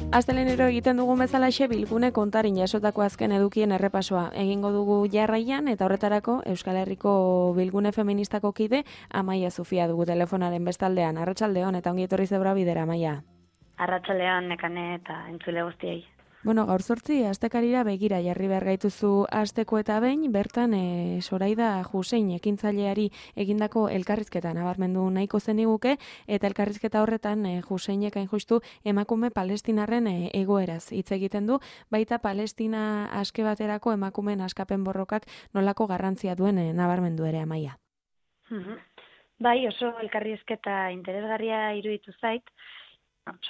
Asteleenero egiten dugun bezalaxe bilgune kontarin jasotako azken edukien errepasoa egingo dugu jarraian eta horretarako Euskal Herriko bilgune feministako kide Amaia Zufia dugu telefonaren bestaldean. Arratsaldeon eta ongi etorri zebra bidera, Amaia. Arratsaldeon nekane eta entzule guztiei. Bueno, gaur 8 astekarira begira jarri behar gaituzu asteko eta behin, bertan Soraida Jusein ekintzaileari egindako elkarrizketa nabarmendu nahiko zeniguke, eta elkarrizketa horretan Juseinek hain justu emakume palestinarren egoeraz hitz egiten du, baita Palestina aske baterako emakumeen askapen borrokak nolako garrantzia duen nabarmendu ere, Amaia. Bai, oso elkarrizketa interesgarria iruditu zait.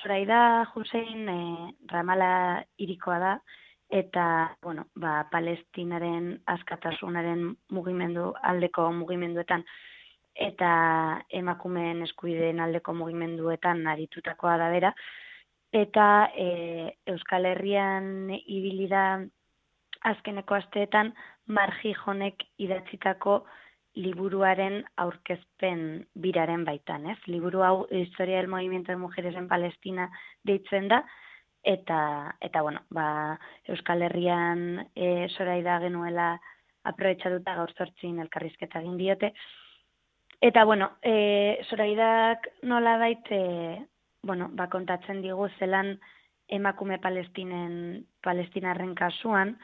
Soraida Jusein Ramala hirikoa da, eta Palestinaren askatasunaren aldeko mugimenduetan eta emakumeen eskubideen aldeko mugimenduetan aritutakoa da bera, eta Euskal Herrian ibili da azkeneko asteetan Margi Jonek idatzitako liburuaren aurkezpen biraren baitan, ez? Liburu hau Historia del Movimiento de Mujeres en Palestina deitzen da, eta Euskal Herrian Soraida genuela aprobetxatuta gaur 8 elkarrizketa egin diote. Eta Soraidak nolabait kontatzen digu zelan emakume palestinarren kasuan,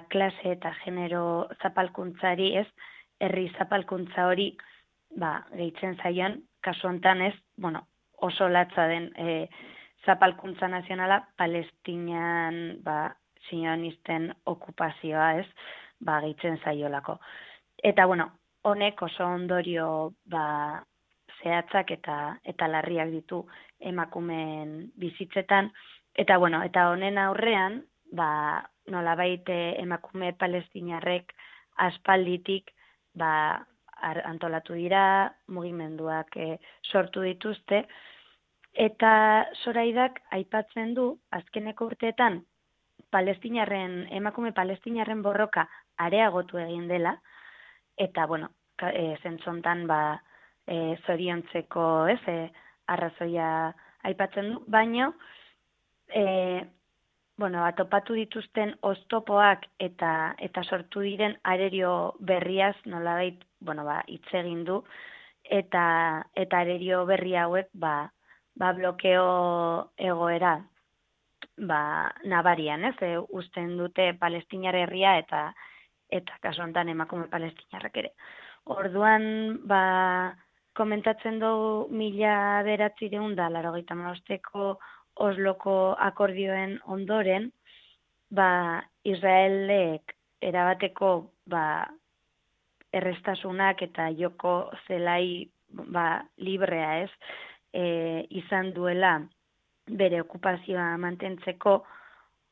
klase eta genero zapalkuntzari, ez? Herri zapalkuntza hori gehitzen zaion, kasu hontan ez, oso latza den zapalkuntza nazionala Palestinian sionisten okupazioa ez, gehitzen zaiolako. Eta honek oso ondorio zehatzak eta larriak ditu emakumeen bizitzetan, eta honen aurrean, nolabait emakume palestinarrek aspalditik antolatu dira, mugimenduak sortu dituzte, eta Soraidak aipatzen du azkeneko urteetan emakume palestinarren borroka areagotu egin dela, eta zentzontan zoriontzeko arrazoia aipatzen du, baina topatu dituzten oztopoak eta sortu diren arerio berriaz nolabait hitz egin du, eta arerio berri hauek blokeo egoera nabarian, ez? Uzten dute Palestinar herria eta kasu honetan emakume palestinarrak ere. Orduan komentatzen du 1985ko Osloko akordioen ondoren, Israelek erabateko errestasunak eta joko zelai librea ez, izan duela bere okupazioa mantentzeko,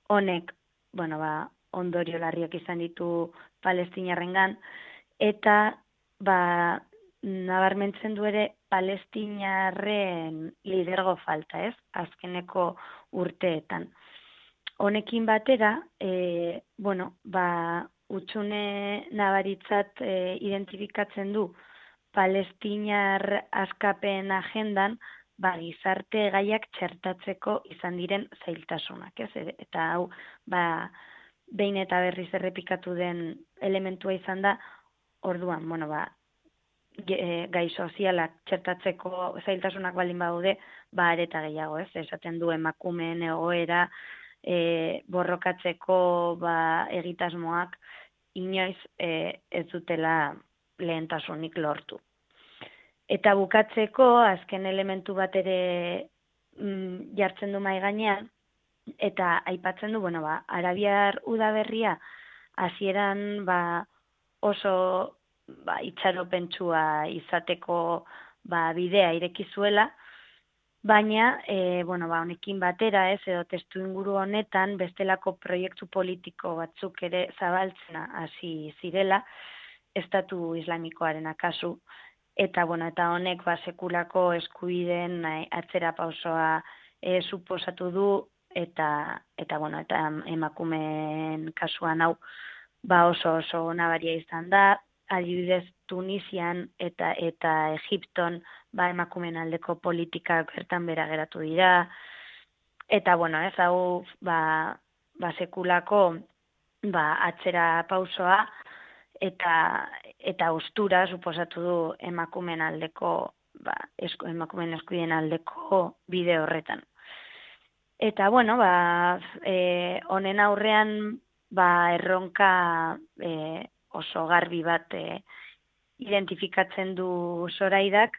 honek ondorio larriak izan ditu palestinarrengan, eta nabarmentzen du ere palestinarren lidergo falta, ez? Azkeneko urteetan. Honekin batera, hutsune nabaritzat identifikatzen du palestinar askapen agendan, gizarte gaiak txertatzeko izan diren zailtasunak, ez? Eta hau, behin eta berriz errepikatu den elementua izan da, orduan, gai sozialak txertatzeko zailtasunak baldin badaude, areta gehiago, ez? Esaten du emakumeen egoera borrokatzeko egitasmoak inoiz ez dutela lehentasunik lortu. Eta bukatzeko, azken elementu bat ere jartzen du mahai gainean, eta aipatzen du, Arabiar udaberria hasieran oso itxaropentsua izateko bidea ireki zuela, baina honekin batera ez, edo testu inguru honetan bestelako proiektu politiko batzuk ere zabaltzena hasi zirela, Estatu Islamikoaren akasu, eta honek sekulako eskubideen atzera pausoa suposatu du, eta emakumeen kasuan hau oso nabaria izan da, adibidez Tunisian eta Egipton emakumeen aldeko politikak bertan bera geratu dira, Eta, bueno, ez hau, sekulako, atzera pausoa, eta ostura suposatu du emakumeen aldeko, emakumeen eskubideen aldeko bide horretan. Eta, bueno, honen aurrean, erronka oso garbi bat identifikatzen du Soraidak,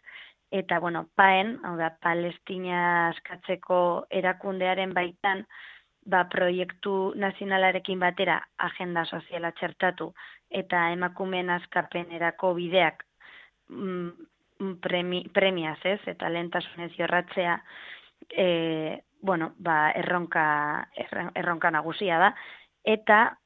eta, bueno, PAEN, hau da, Palestina askatzeko erakundearen baitan, proiektu nazionalarekin batera agenda soziala txertatu, eta emakumeen askapenerako bideak premiaz, ez, eta lehentasunez jorratzea, erronka nagusia da, eta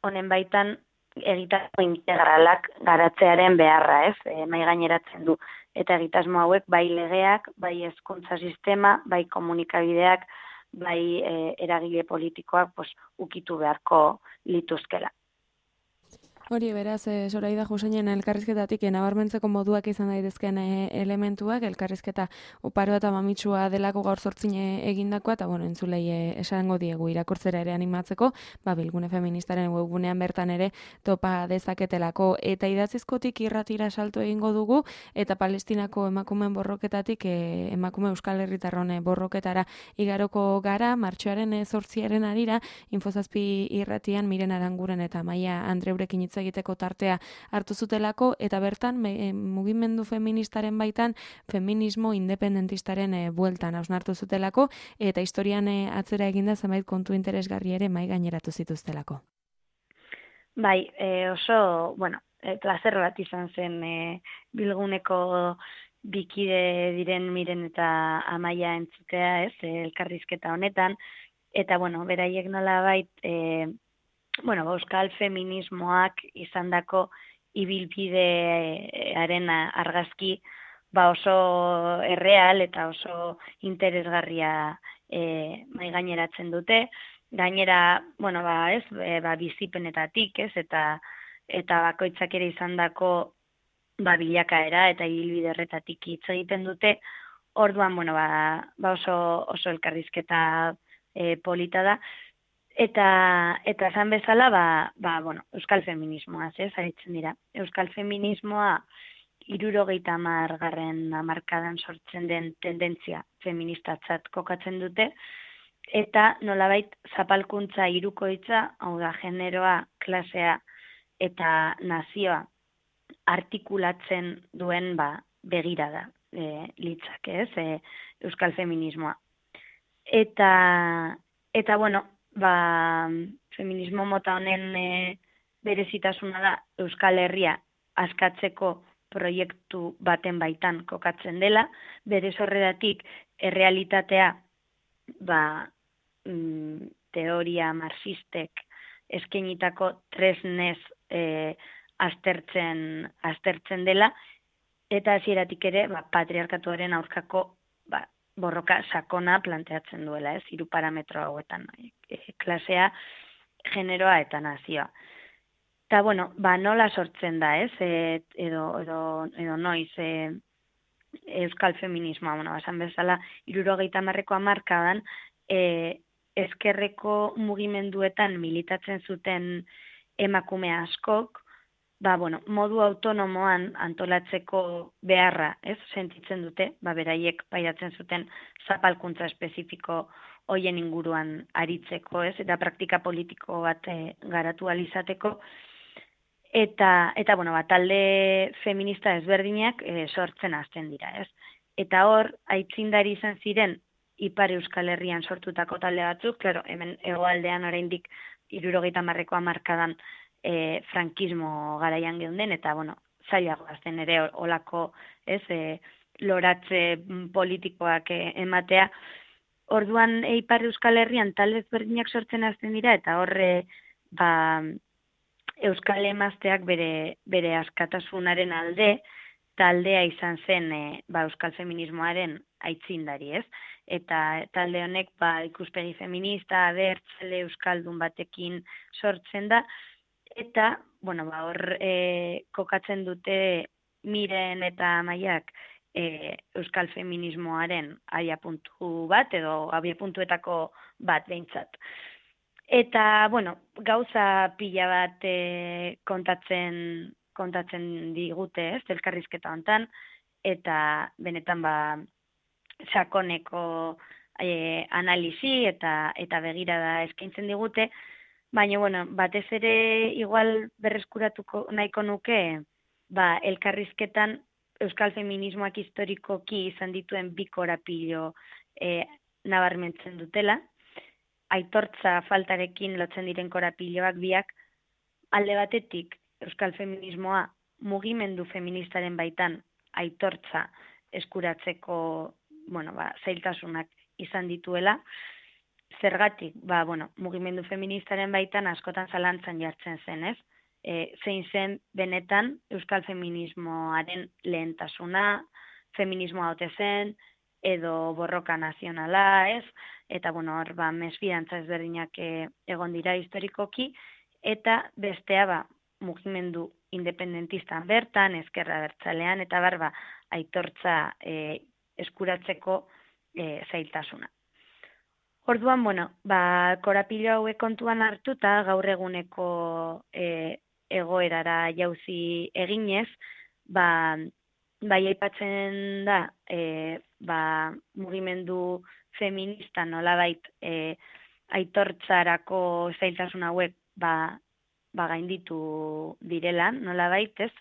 honen baitan egitasmo integralak garatzearen beharra, ez, mahai gaineratzen du. Eta egitasmo hauek bai legeak, bai hezkuntza sistema, bai komunikabideak, bai eragile politikoak ukitu beharko lituzkela. Hori, beraz, Soraida Juseinen elkarrizketatik nabarmentzeko moduak izan daitezkeen elementuak, elkarrizketa oparoa eta mamitsua delako gaur zortzin egindakoa, eta, bueno, entzulei esango diegu irakurtzera ere animatzeko, Bilgune Feministaren webgunean bertan ere topa dezaketelako, eta idatzizkotik irratira salto egingo dugu, eta Palestinako emakumeen borroketatik emakume Euskal Herritarron borroketara igaroko gara, martxoaren 8 arira, Infozazpi irratian Miren Aranguren eta Maia Andreurekin hitz egiteko tartea hartu zutelako, eta bertan mugimendu feministaren baitan feminismo independentistaren bueltan hausnartu zutelako, eta historian atzera eginda zenbait kontu interesgarri ere mahai gaineratu zituztelako. Bai, oso, plazer bat izan zen Bilguneko bikide diren Miren eta Amaia entzutea, ez, elkarrizketa honetan, eta, beraiek nolabait, euskal feminismoak izandako ibilbidearen argazki oso erreal eta oso interesgarria mahai gaineratzen dute. Gainera, bizipenetatik, ez, eta bakoitzak ere izandako bilakaera eta ibilbide horretatik hitz egiten dute. Orduan, oso elkarrizketa polita da. Eta esan bezala, euskal feminismoaz, ez, aritzen dira. Euskal feminismoa 70. hamarkadan sortzen den tendentzia feministatzat kokatzen dute, eta nolabait zapalkuntza hirukoitza, hau da, generoa, klasea eta nazioa artikulatzen duen begirada litzake, ez, euskal feminismoa. Eta feminismo mota honen berezitasuna da Euskal Herria askatzeko proiektu baten baitan kokatzen dela, bere sorreratik errealitatea teoria marxistek eskainitako tresnez aztertzen dela, eta hasieratik ere patriarkatuaren aurkako borroka sakona planteatzen duela, ez, 3 parametro hauetan, klasea, generoa eta nazioa. Eta, nola sortzen da, ez, edo noiz euskal feminismoa, esan bezala, 70. hamarkadan, ezkerreko mugimenduetan militatzen zuten emakume askok, modu autonomoan antolatzeko beharra, ez, sentitzen dute, beraiek pairatzen zuten zapalkuntza espezifiko hoien inguruan aritzeko, ez, eta praktika politiko bat garatu alizateko, eta talde feminista ezberdinak sortzen hasten dira, ez. Eta hor, aitzindari izan ziren Ipar Euskal Herrian sortutako talde batzuk, klaro, hemen hegoaldean oraindik 70. hamarkadan frankismo garaian geunden, eta, zailago azten ere olako, ez, loratze politikoak ematea. Orduan, Ipar Euskal Herrian talde ezberdinak sortzen hasten dira, eta horre, Euskal emazteak bere askatasunaren alde, taldea izan zen euskal feminismoaren aitzindari, ez? Eta talde honek ikuspegi feminista, abertzale, euskaldun batekin sortzen da, eta, hor kokatzen dute Miren eta Maiak euskal feminismoaren abiapuntu bat, edo abiapuntuetako bat behintzat. Eta, bueno, gauza pila bat kontatzen digute, ez, elkarrizketa hontan, eta benetan sakoneko analisi eta begirada eskaintzen digute, baina, bueno, batez ere igual berreskuratuko nahiko nuke, elkarrizketan euskal feminismoak historikoki izan dituen bi korapilo nabarmentzen dutela, aitortza faltarekin lotzen diren korapiloak biak, alde batetik euskal feminismoa mugimendu feministaren baitan aitortza eskuratzeko, zailtasunak izan dituela, zergatik, mugimendu feministaren baitan askotan zalantzan jartzen zen, ez? Zein zen benetan euskal feminismoaren lehentasuna, feminismoa ote zen, edo borroka nazionala, ez? Eta, hor, mesfidantza ezberdinak egon dira historikoki, eta bestea, mugimendu independentistan bertan, ezkerra bertzalean, eta aitortza eskuratzeko zailtasuna. Orduan, korapilo hauek kontuan hartuta, gaur eguneko egoerara jauzi eginez, aipatzen da, mugimendu feminista nolabait aitortzarako zailtasun hauek gainditu direla, nolabait, ez?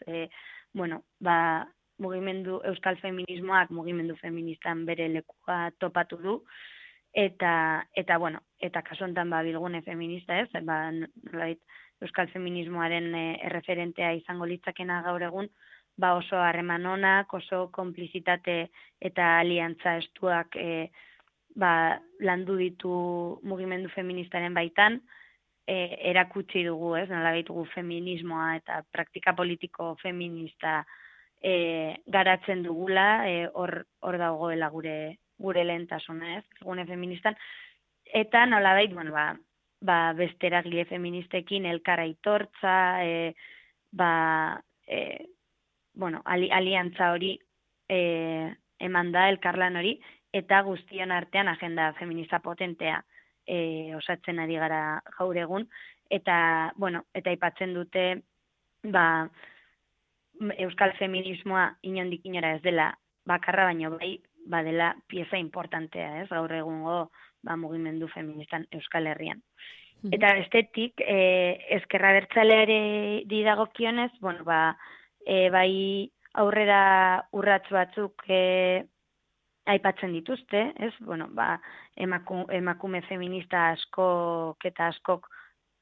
Mugimendu euskal feminismoak mugimendu feministan bere lekua topatu du, eta kasu honetan bilgune feminista, ez? Nolabait, euskal feminismoaren erreferentea izango litzakena gaur egun, oso harreman onak, oso konplizitate eta aliantza estuak landu ditu mugimendu feministaren baitan, erakutsi dugu, ez, nolabait gu feminismoa eta praktika politiko feminista garatzen dugula, hor dagoela gure lehentasuna, ez, gune feministan, eta nolabait, beste eragile feministekin elkar aitortza, aliantza hori eman da, elkarlan hori, eta guztion artean agenda feminista potentea osatzen ari gara gaur egun, eta aipatzen dute euskal feminismoa inondik inora ez dela bakarra, baino badela pieza importantea, ez, gaur egungo mugimendu feministan Euskal Herrian. Eta bestetik, ezkerra bertzaleari dagokionez, aurrera urrats batzuk aipatzen dituzte, ez? Emakume feminista askok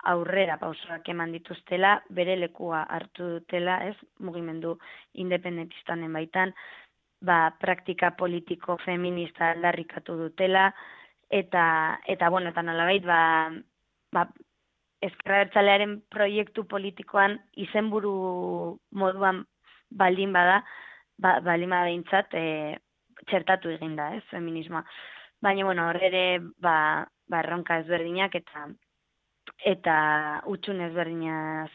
aurrera pausoak eman dituztela, bere lekua hartu dutela, ez? Mugimendu independentistan baitan, praktika politiko feminista aldarrikatu dutela, eta nolabait, ezkerra bertzalearen proiektu politikoan izenburu moduan baldin bada behintzat txertatu egin da, ez, feminismoa. Baina, hor ere, erronka ezberdinak eta utxun ezberdinak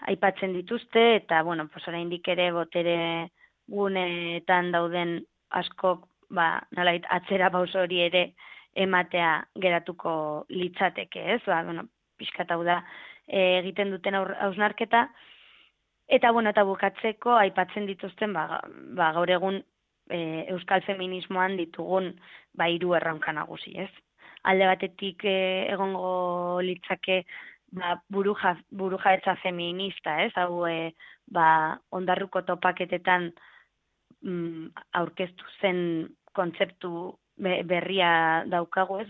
aipatzen dituzte, eta, oraindik ere botere guneetan dauden askok, nolait, atzera pauso hori ere ematea geratuko litzateke, ez? Pixkat hau da egiten duten hausnarketa, eta bukatzeko aipatzen dituzten, gaur egun euskal feminismoan ditugun hiru erronka nagusi, ez? Alde batetik egongo litzake burujabetza feminista, ez? Hau ondarruko topaketetan aurkeztu zen kontzeptu berria daukagu, ez?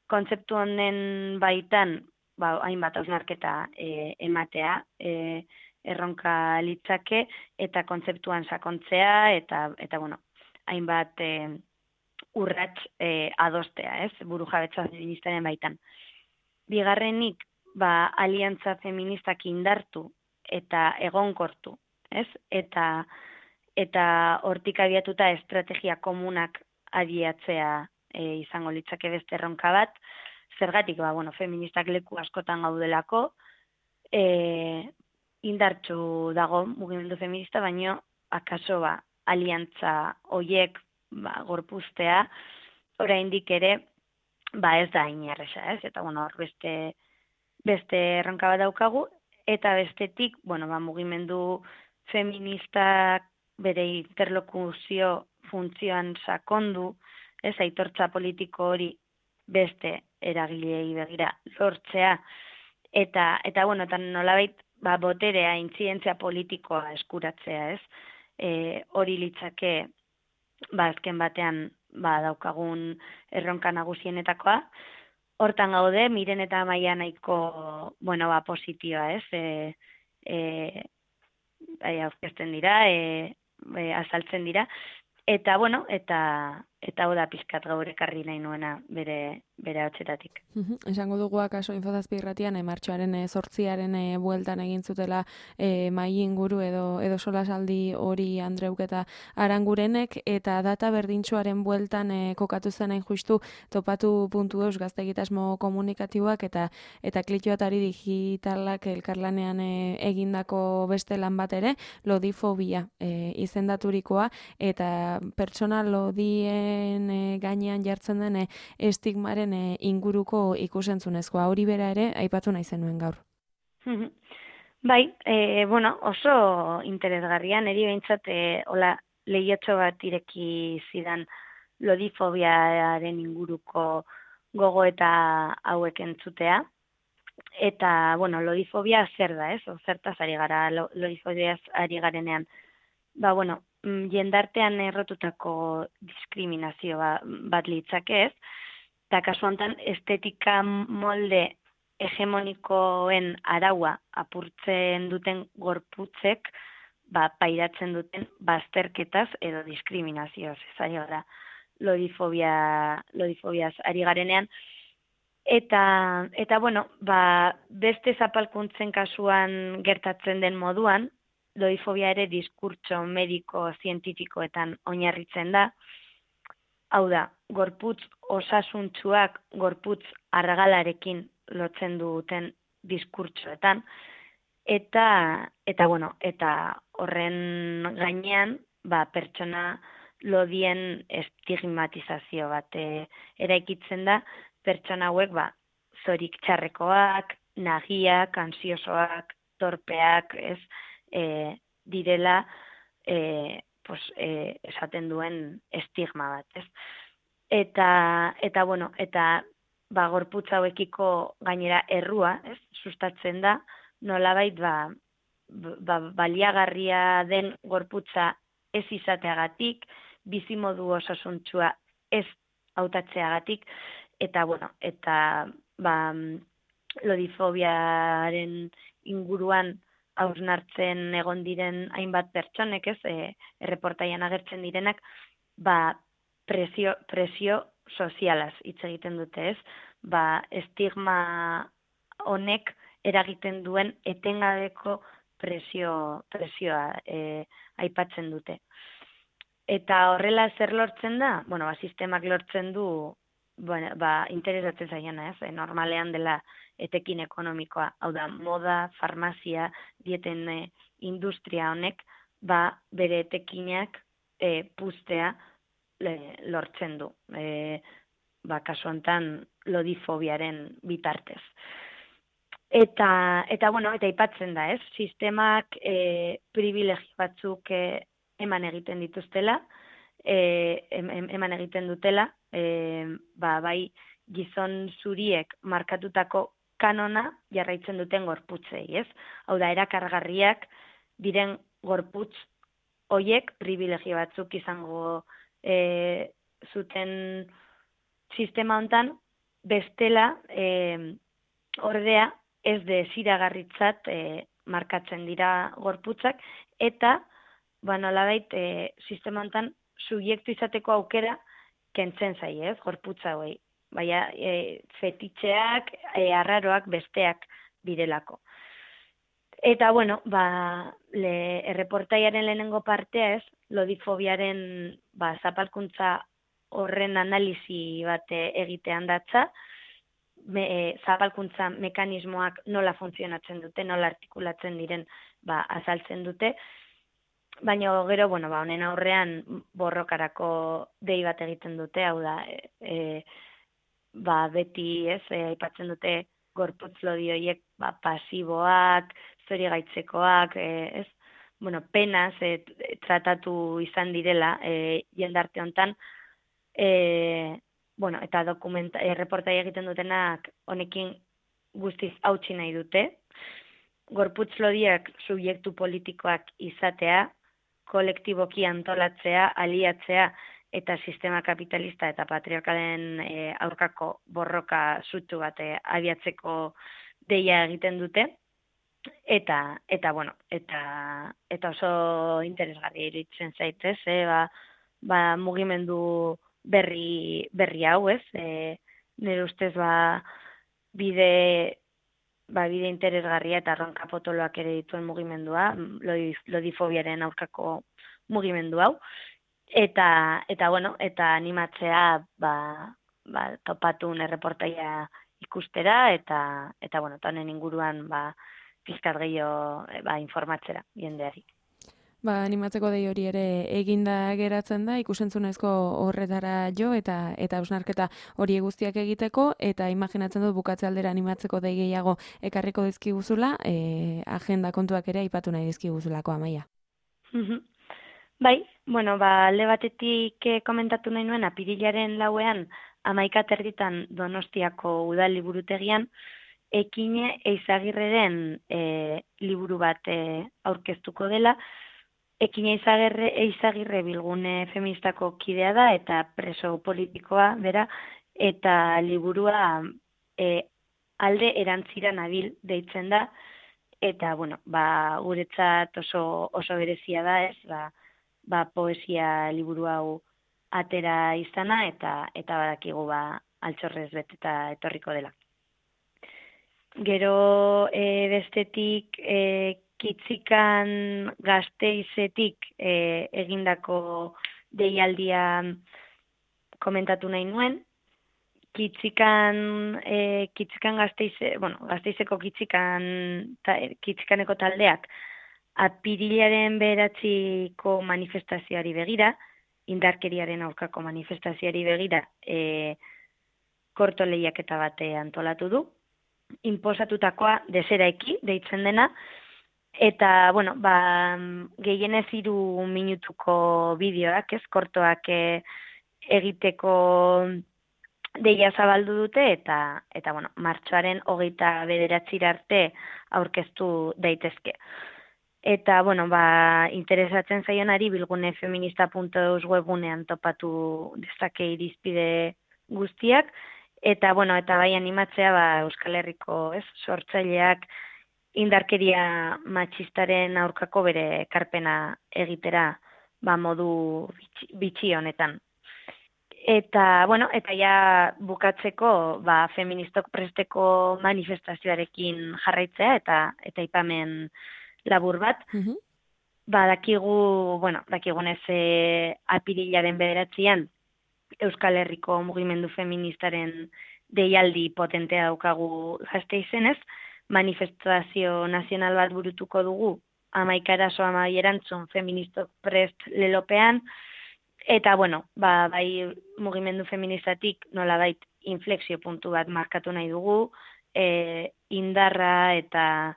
Kontzeptu honen baitan hainbat hausnarketa ematea, erronka litzake, eta kontzeptuan sakontzea, eta hainbat urrats adostea, ez? Burujabetza feministaren baitan. Bigarrenik, aliantza feministak indartu eta egonkortu, ez? Eta hortik abiatuta estrategia komunak abiatzea izango litzake beste erronka bat. Zergatik, feministak leku askotan gaudelako, indartsu dago mugimendu feminista, baino akaso aliantza hoiek gorpuztea, oraindik ere ez da inerresa, ez? Eta bueno, hor beste erronka bat daukagu, eta bestetik, mugimendu feministak bere interlokuzio funtzioan sakondu, ez aitortza politiko hori beste eragilei begira lortzea, eta nolabait boterea, intzidentzia politikoa eskuratzea, ez? Hori litzake, azken batean, daukagun erronka nagusienetakoa. Hortan gaude, Miren eta Amaia nahiko, positioa, ez? Aurkezten dira, azaltzen dira, eta hau da pizkat gaur ekarri nahi nuena bere hotzetatik. Esango dugu akaso Infozazpi irratian, martxoaren 8-aren bueltan egin zutela mai inguru edo solasaldi hori Andreuk eta Arangurenek, eta data berdintsuaren bueltan kokatu zen justu topatu.eus gaztegitasmo komunikatiboak eta klitxoatari digitalak elkarlanean egindako beste lan bat ere, lodifobia izendaturikoa, eta pertsona lodien gainean jartzen den estigmaren inguruko ikusentzunezkoa, hori bera ere aipatu nahi zenuen gaur. Bai, oso interesgarria, niri behintzat hola lehiotxo bat ireki zidan lodifobiaren inguruko gogo eta hauek entzutea. Eta, lodifobia zer da, ez? Zertaz ari gara lodifobiaz ari garenean. Jendartean errotutako diskriminazio bat litzake, ez? Eta kasu honetan estetika molde hegemonikoen araua apurtzen duten gorputzek pairatzen duten bazterketaz edo diskriminazioz. Ez ari gara lodifobiaz ari garenean. Eta beste zapalkuntzen kasuan gertatzen den moduan, lodifobia ere diskurtso mediko zientifikoetan oinarritzen da. Hau da, gorputz osasuntsuak gorputz argalarekin lotzen duten diskurtsoetan, eta horren gainean pertsona lodien estigmatizazio bat eraikitzen da, pertsona hauek zorik txarrekoak, nagiak, ansiosoak, torpeak, ez, direla esaten duen estigma bat, ez? Eta gorputz hauekiko gainera errua, ez, sustatzen da, nolabait baliagarria den gorputza ez izateagatik, bizimodu osasuntsua ez hautatzeagatik, eta lodifobiaren inguruan hausnartzen egon diren hainbat pertsonek, ez, erreportaian agertzen direnak, presio sozialaz hitz egiten dute, ez? Estigma honek eragiten duen etengabeko presioa aipatzen dute. Eta horrela zer lortzen da? Sistemak lortzen du interesatzen zaiena, ez? Normalean dela etekin ekonomikoa, hau da, moda, farmazia, dieten industria honek, bere etekinak puztea lortzen du. Kasu honetan lodifobiaren bitartez. Eta aipatzen da, ez? Sistemak privilegio batzuk eman egiten dituztela, eman egiten dutela, bai gizon zuriek markatutako kanona jarraitzen duten gorputzei, ez? Hau da, erakargarriak diren gorputz hoiek privilegio batzuk izango zuten sistema hontan, bestela ordea ez desiragarritzat markatzen dira gorputzak, eta nolabait sistema hontan subjektu izateko aukera kentzen zaie, ez, gorputza hauei. Baina fetitxeak, arraroak besteak direlako. Eta, erreportaiaren lehenengo partea, ez, lodifobiaren zapalkuntza horren analisi bat egitean datza, zapalkuntza mekanismoak nola funtzionatzen dute, nola artikulatzen diren azaltzen dute, baina gero, bueno, ba, honen aurrean borrokarako dei bat egiten dute, hau da, ba, beti, ez, aipatzen dute gorputz lodi horiek, ba, pasiboak, zori gaitzekoak, ez, bueno, penaz, tratatu izan direla, jendarte hontan, bueno, eta reportai egiten dutenak honekin guztiz hautsi nahi dute, gorputz lodiak subjektu politikoak izatea, kolektiboki antolatzea, aliatzea, eta sistema kapitalista eta patriarkalen aurkako borroka sutsu bat abiatzeko deia egiten dute, eta bueno, eta oso interesgarri iruditzen zaitez, ba, mugimendu berri hau, ez? Nire ustez, bide interesgarria eta arronka potoloak ere dituen mugimendua, lodifobiaren aurkako mugimendu hau, eta bueno, eta animatzea, topatun erreportaia ikustera, eta bueno, honen inguruan, pizkat gehiago, informatzera jendeari. Animatzeko dei hori ere eginda geratzen da, ikusentzunezko horretara jo eta hausnarketa hori guztiak egiteko, eta imaginatzen dut bukatze aldera animatzeko dei gehiago ekarriko dizkiguzula, agenda kontuak ere aipatu nahi dizkiguzulako, Amaia. Bai, bueno, alde batetik komentatu nahi nuen, apirilaren 4ean 11:00 Donostiako udal liburutegian, Ekine Eizagirreren liburu bat aurkeztuko dela. Ekine Eizagirre Bilgune feministako kidea da eta preso politikoa bera, eta liburua alde erantzira nabil deitzen da, eta bueno, guretzat oso berezia da, ez, poesia liburu hau atera izana, eta badakigu altxorrez beteta etorriko dela. Gero bestetik Kitzikan Gasteizetik egindako deialdia komentatu nahi nuen. Kitzikan Gasteizeko Kitzikaneko taldeak apirilaren 9 manifestazioari begira, indarkeriaren aurkako manifestazioari begira, korto lehiaketa bate antolatu du, inposatutakoa deseraiki deitzen dena, eta, bueno, gehienez 3 minutuko bideoak, ez, kortoak egiteko deia zabaldu dute, eta bueno, martxoaren 29 arte aurkeztu daitezke. Eta, bueno, interesatzen zaionari bilgunefeminista.eus webgunean topatu dezake irizpide guztiak, eta, bueno, eta bai animatzea, Euskal Herriko, ez, sortzaileak indarkeria matxistaren aurkako bere ekarpena egitera, modu bitxi honetan. Eta, bueno, eta ja bukatzeko, feministok presteko manifestazioarekin jarraitzea, eta aipamen labur bat. Dakigunez apirilaren 9 Euskal Herriko mugimendu feministaren deialdi potentea daukagu Gasteizenez, manifestazio nazional bat burutuko dugu, 11 arazo 12 erantzun feministok prest lelopean, eta, bueno, bai mugimendu feministatik nolabait inflexio puntu bat markatu nahi dugu, indarra eta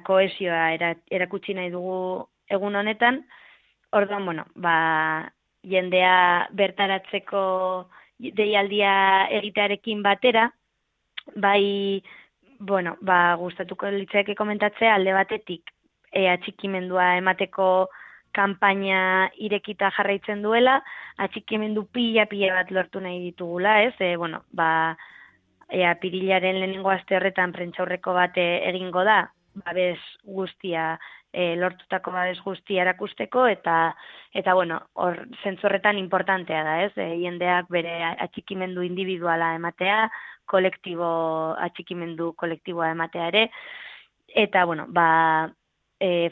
kohesioa erakutsi nahi dugu egun honetan. Orduan, bueno, jendea bertaratzeko deialdia egitearekin batera, gustatuko litzaike komentatzea alde batetik atxikimendua emateko kanpaina irekita jarraitzen duela, atxikimendu pila bat lortu nahi ditugula, ez? Apirilaren 1. aste horretan prentsaurreko bat egingo da, babes guztia, lortutako babes guztia erakusteko, eta bueno, hor zentzu horretan importantea da, ez? Jendeak bere atxikimendu individuala ematea, atxikimendu kolektiboa ematea ere, eta bueno,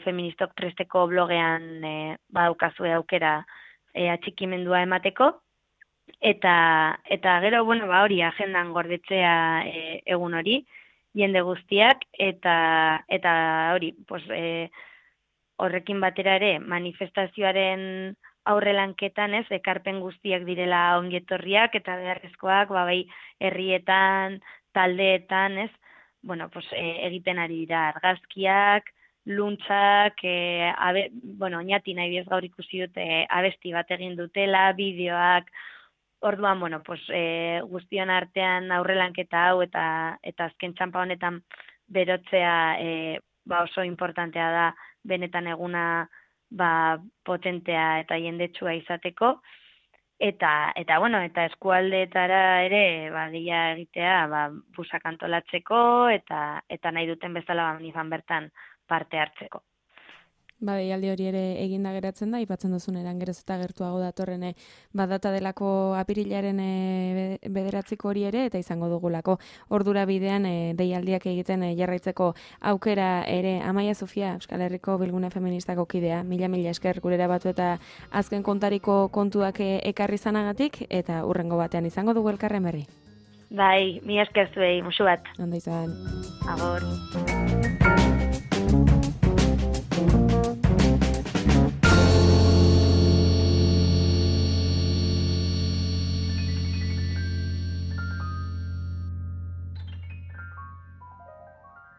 feministok presteko blogean daukazue aukera atxikimendua emateko, eta gero, bueno, hori agendan gordetzea egun hori, jende guztiak, eta hori, horrekin batera ere manifestazioaren aurrelanketan, ez, ekarpen guztiak direla ongietorriak eta beharrezkoak, bai herrietan, taldeetan, ez, bueno, pues, egiten ari dira argazkiak, luntxak, oinati nahi bez gaur ikusi dute abesti bat egin dutela, bideoak, orduan, bueno, pues, guztion artean aurrelanketa hau eta azken txanpa honetan berotzea oso importantea da benetan eguna potentea eta jendetsua izateko, eta eskualdeetara ere gila egitea busak antolatzeko eta nahi duten bezala manifan bertan parte hartzeko. Deialdi hori ere eginda geratzen da, aipatzen duzun eran geroz eta gertuago datorren data delako apirilaren 9 hori ere, eta izango dugulako ordura bidean deialdiak egiten jarraitzeko aukera ere. Amaia Sofia, Euskal Herriko Bilgune Feministako kidea, mila esker gurera batu eta azken kontariko kontuak ekarri zanagatik, eta hurrengo batean izango dugu elkarren berri. Bai, mila esker zuei, musu bat. Ondo izan. Agor.